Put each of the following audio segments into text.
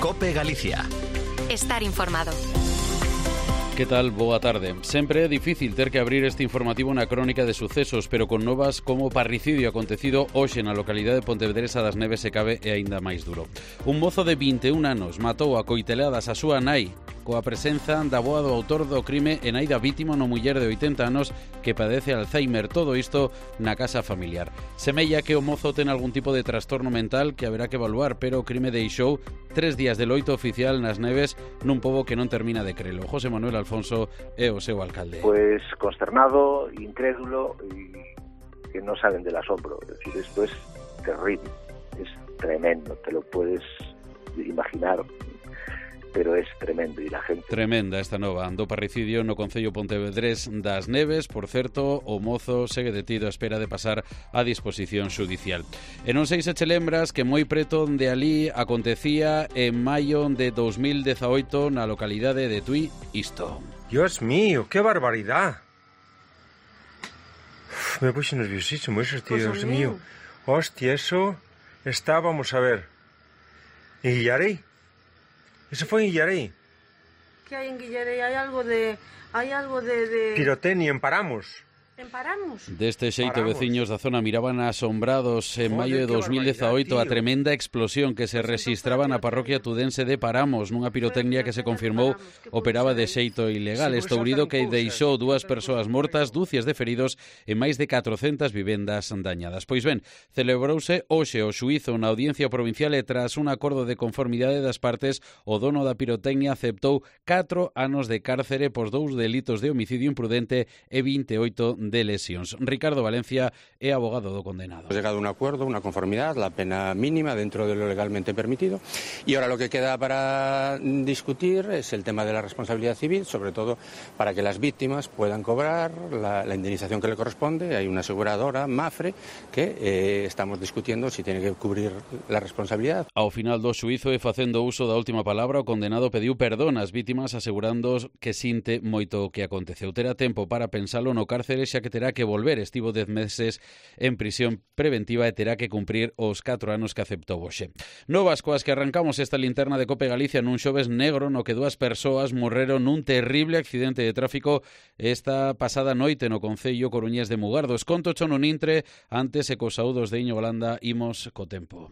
COPE Galicia. Estar informado. Que tal? Boa tarde. Sempre é difícil ter que abrir este informativo na crónica de sucesos, pero con novas como o parricidio acontecido hoxe na localidade de Pontevedresa das Neves se cabe é aínda máis duro. Un mozo de 21 anos matou a coiteladas a súa nai coa presenza da avoa do autor do crime e nai da vítima, unha muller de 80 anos que padece Alzheimer. Todo isto na casa familiar. Semella que o mozo ten algún tipo de trastorno mental que haberá que evaluar, pero o crime deixou 3 días de loito oficial nas Neves nun pobo que non termina de crelo. José Manuel Alfonso é o seu alcalde. Pues consternado, incrédulo y que no saben del asombro. Es decir, esto es terrible, es tremendo, te lo puedes imaginar, pero es tremendo e la gente... Tremenda esta nova do parricidio no concello pontevedrés das Neves. Por certo, o mozo segue detido a espera de pasar a disposición xudicial. E non sei se che lembras que moi preto de ali acontecía en maio de 2018 na localidade de Tui isto. Dios mío, qué barbaridad. Me puse nerviosísimo eso, tío, Dios mío. Hostia, eso está, vamos a ver. ¿En Guillarey? Eso fue en Guillarey. ¿Qué hay en Guillarey? Hay algo de Pirotecnia, en Paramos. ¿En Paramos? Deste xeito, veciños da zona miraban asombrados en maio de 2018 a tremenda explosión que se rexistraba na parroquia tudense de Paramos, nunha pirotecnia que se confirmou operaba de xeito ilegal. Estourido que deixou 2 persoas mortas, dúcias de feridos e máis de 400 vivendas dañadas. Pois ben, celebrouse hoxe o xuízo na audiencia provincial e tras un acordo de conformidade das partes, o dono da pirotecnia aceptou 4 anos de cárcere por 2 delitos de homicidio imprudente e 28 de lesións. Ricardo Valencia é abogado do condenado. Hemos llegado a un acuerdo, una conformidad, la pena mínima dentro de lo legalmente permitido, y ahora lo que queda para discutir es el tema de la responsabilidad civil, sobre todo para que las víctimas puedan cobrar la indemnización que le corresponde. Hay una aseguradora, Mafre, que estamos discutiendo si tiene que cubrir la responsabilidad. Ao final do xuízo e facendo uso da última palabra, o condenado pediu perdón ás vítimas asegurando que sinte moito o que aconteceu. Terá tempo para pensalo no cárcere, xa que terá que volver. Estivo 10 meses en prisión preventiva e terá que cumprir os 4 anos que aceptou hoxe. Novas coas que arrancamos esta linterna de COPE Galicia nun xoves negro no que 2 persoas morreron nun terrible accidente de tráfico esta pasada noite no concello coruñés de Mugardos. Conto cho nun intre, antes e cos saúdos de Iño Golanda imos co tempo.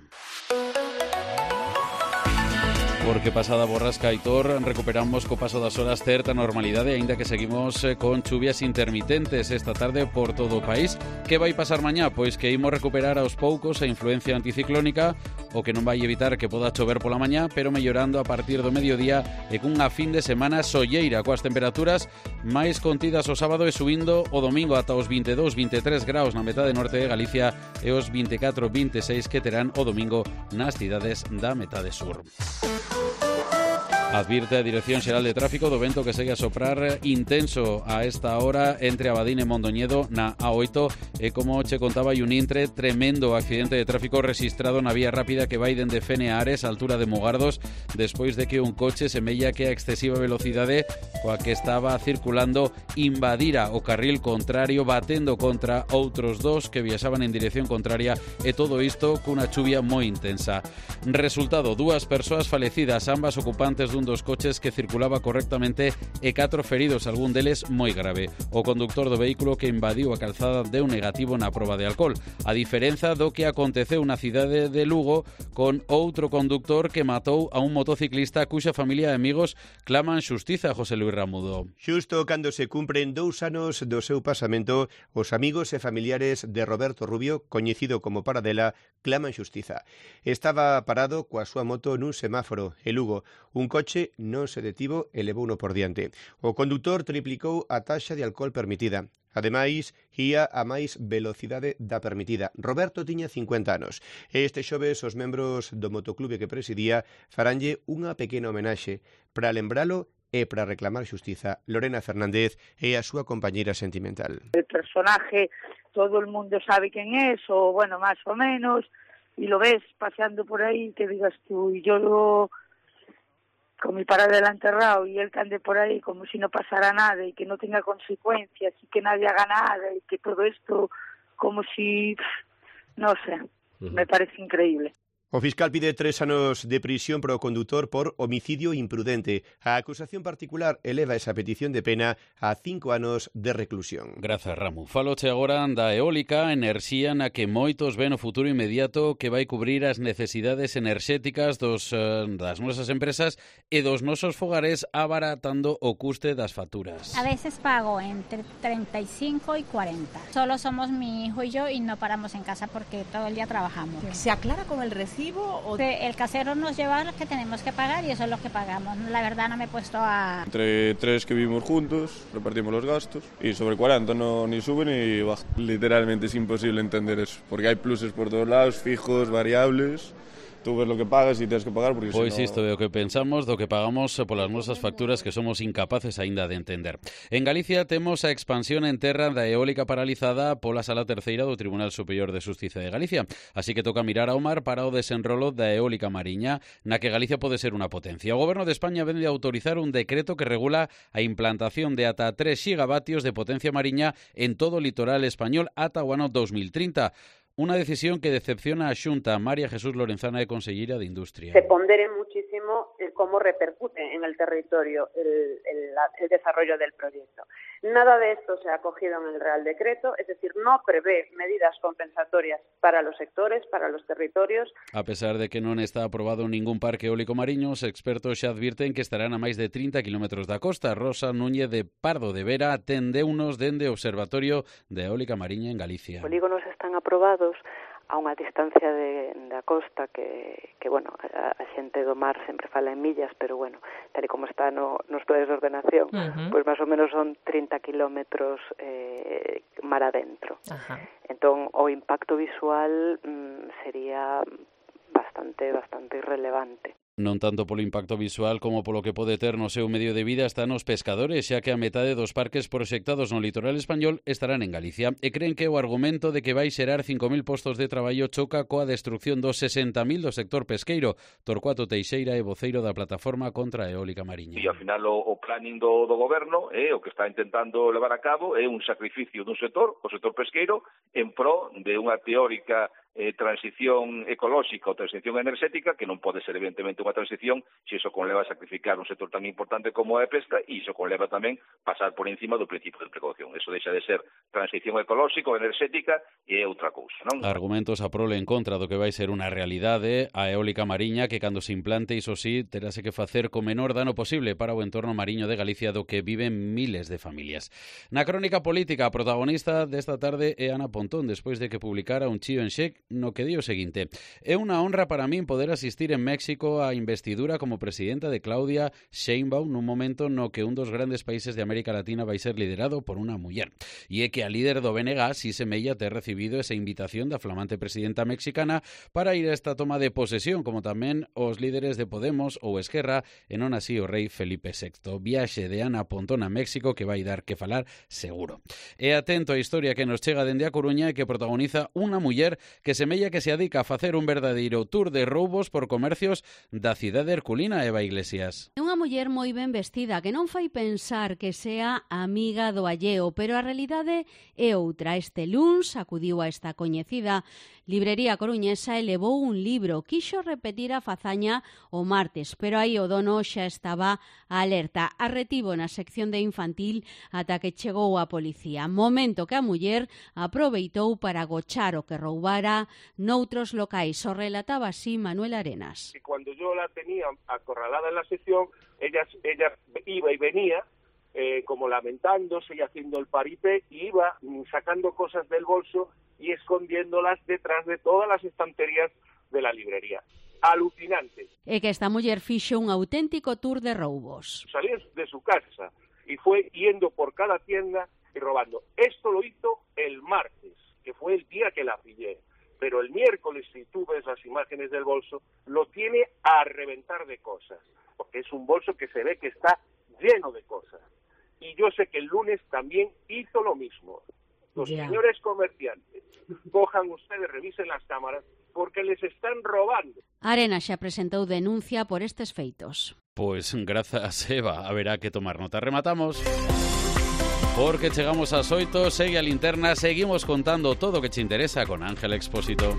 Porque pasada borrasca Aitor recuperamos co paso das horas certa normalidade, aínda que seguimos con chuvias intermitentes esta tarde por todo o país. Que vai pasar mañá? Pois que imos recuperar aos poucos a influencia anticiclónica, o que non vai evitar que poda chover pola mañá, pero mellorando a partir do mediodía e cunha fin de semana solleira, coas temperaturas máis contidas o sábado e subindo o domingo ata os 22-23 graus na metade norte de Galicia e os 24-26 que terán o domingo nas cidades da metade sur. Advirte a Dirección Xeral de Tráfico do vento que segue a soprar intenso a esta hora entre Abadín e Mondoñedo na A8 e como che contaba hai un intre tremendo accidente de tráfico rexistrado na vía rápida que vai dende Fene a Ares, a altura de Mugardos, despois de que un coche semella que a excesiva velocidade coa que estaba circulando invadira o carril contrario batendo contra outros 2 que viaxaban en dirección contraria e todo isto cunha chuvia moi intensa. Resultado, 2 persoas falecidas, ambas ocupantes dun dos coches que circulaba correctamente e 4 feridos, algún deles moi grave. O conductor do vehículo que invadiu a calzada deu negativo na proba de alcohol. A diferenza do que aconteceu na cidade de Lugo con outro conductor que matou a un motociclista cuxa familia e amigos claman xustiza, José Luis Ramudo. Xusto cando se cumpren 2 anos do seu pasamento, os amigos e familiares de Roberto Rubio, coñecido como Paradela, claman xustiza. Estaba parado coa súa moto nun semáforo e Lugo. Un coche non se detivo e levouno por diante. O condutor triplicou a taxa de alcohol permitida. Ademais, ía a máis velocidade da permitida. Roberto tiña 50 anos. E este xoves os membros do motoclube que presidía faranlle unha pequena homenaxe para lembralo e para reclamar xustiza. Lorena Fernández é a súa compañeira sentimental. El personaje, todo el mundo sabe quen es, o bueno, más o menos, y lo ves paseando por ahí, que digas tú, y yo con mi Paradela enterrado y él que ande por ahí como si no pasara nada y que no tenga consecuencias y que nadie haga nada y que todo esto como si, no sé, me parece increíble. O fiscal pide 3 anos de prisión para o condutor por homicidio imprudente. A acusación particular eleva esa petición de pena a 5 anos de reclusión. Grazas, Ramu. Faloche agora da eólica, enerxía na que moitos ven o futuro inmediato que vai cubrir as necesidades enerxéticas das nosas empresas e dos nosos fogares, abaratando o custe das facturas. A veces pago entre 35 y 40. Solo somos mi hijo y yo y no paramos en casa porque todo el día trabajamos. ¿Se aclara con el recibo? El casero nos lleva lo que tenemos que pagar y eso es lo que pagamos. La verdad no me he puesto a... Entre 3 que vivimos juntos, repartimos los gastos y sobre 40 no ni sube ni baja. Literalmente es imposible entender eso, porque hay pluses por todos lados, fijos, variables. Tú ves lo que pagas y tienes que pagar porque pois si no... isto é o que pensamos do que pagamos polas nosas facturas que somos incapaces aínda de entender. En Galicia temos a expansión en terra da eólica paralizada pola Sala Terceira do Tribunal Superior de Xustiza de Galicia. Así que toca mirar ao mar para o desenrolo da eólica mariña, na que Galicia pode ser unha potencia. O Goberno de España vende a autorizar un decreto que regula a implantación de ata 3 xigavatios de potencia mariña en todo o litoral español ata o ano 2030. Una decisión que decepciona a Xunta. María Jesús Lorenzana é conselleira de Industria. Se pondere muchísimo el cómo repercute en el territorio el desarrollo del proyecto. Nada de esto se ha acogido en el Real Decreto, es decir, no prevé medidas compensatorias para los sectores, para los territorios. A pesar de que non está aprobado ningún parque eólico mariño, os expertos xa advirten que estarán a máis de 30 kilómetros da costa. Rosa Núñez de Pardo de Vera atendeunos dende o Observatorio de Eólica Mariña en Galicia. Polígonos están aprobados a unha distancia da costa que bueno, a xente do mar sempre fala en millas, pero bueno, tal e como está nos planes de ordenación, pois máis ou menos son 30 kilómetros mar adentro. Entón, o impacto visual sería bastante irrelevante. Non tanto polo impacto visual como polo que pode ter no seu medio de vida están os pescadores, xa que a metade dos parques proxectados no litoral español estarán en Galicia e creen que o argumento de que vai xerar 5.000 postos de traballo choca coa destrucción dos 60.000 do sector pesqueiro. Torcuato Teixeira é voceiro da plataforma contra a eólica mariña. E ao final o planning do goberno o que está intentando levar a cabo é un sacrificio dun sector, o sector pesqueiro, en pro de unha teórica transición ecolóxica ou transición enerxética que non pode ser evidentemente unha transición se iso conleva a sacrificar un sector tan importante como a pesca e iso conleva tamén pasar por encima do principio de precaución. Eso deixa de ser transición ecolóxica ou enerxética e é outra cousa, non? Argumentos a prole en contra do que vai ser unha realidade a eólica mariña que cando se implante, iso sí, terase que facer co menor dano posible para o entorno mariño de Galicia do que viven miles de familias. Na crónica política, a protagonista desta tarde é Ana Pontón, despois de que publicara un chío en Xec no que di o seguinte: é unha honra para min poder asistir en México á investidura como presidenta de Claudia Sheinbaum nun momento no que un dos grandes países de América Latina vai ser liderado por unha muller. E é que a líder do BNG si semella ter recibido esa invitación da flamante presidenta mexicana para ir a esta toma de posesión, como tamén os líderes de Podemos ou Esquerra, e non así o rei Felipe VI. Viaxe de Ana Pontón a México que vai dar que falar seguro. E atento a historia que nos chega dende a Coruña e que protagoniza unha muller que semella que se adica a facer un verdadeiro tour de roubos por comercios da cidade herculina. Eva Iglesias. É unha muller moi ben vestida que non fai pensar que sea amiga do alleo, pero a realidade é outra. Este luns acudiu a esta coñecida librería coruñesa e levou un libro. Quixo repetir a fazaña o martes, pero aí o dono xa estaba alerta. Arretivo na sección de infantil ata que chegou a policía. Momento que a muller aproveitou para gochar o que roubara noutros locais. O relataba así Manuel Arenas. Cuando yo la tenía acorralada en la sección, ella iba y venía como lamentándose y haciendo el paripé, y iba sacando cosas del bolso y escondiéndolas detrás de todas las estanterías de la librería. Alucinante. É que esta muller fixo un auténtico tour de roubos. Salió de su casa y fue yendo por cada tienda y robando. Esto lo hizo el martes, que fue el día que la pillé. Pero el miércoles, si tú ves las imágenes del bolso, lo tiene a reventar de cosas, porque es un bolso que se ve que está lleno de cosas. Y yo sé que el lunes también hizo lo mismo. Los señores comerciantes, cojan ustedes, revisen las cámaras, porque les están robando. Arena xa presentou denuncia por estes feitos. Pois grazas, Eva, haberá que tomar nota. Rematamos. Porque chegamos ás 8, segue a linterna, seguimos contando todo o que te interesa con Ángel Expósito.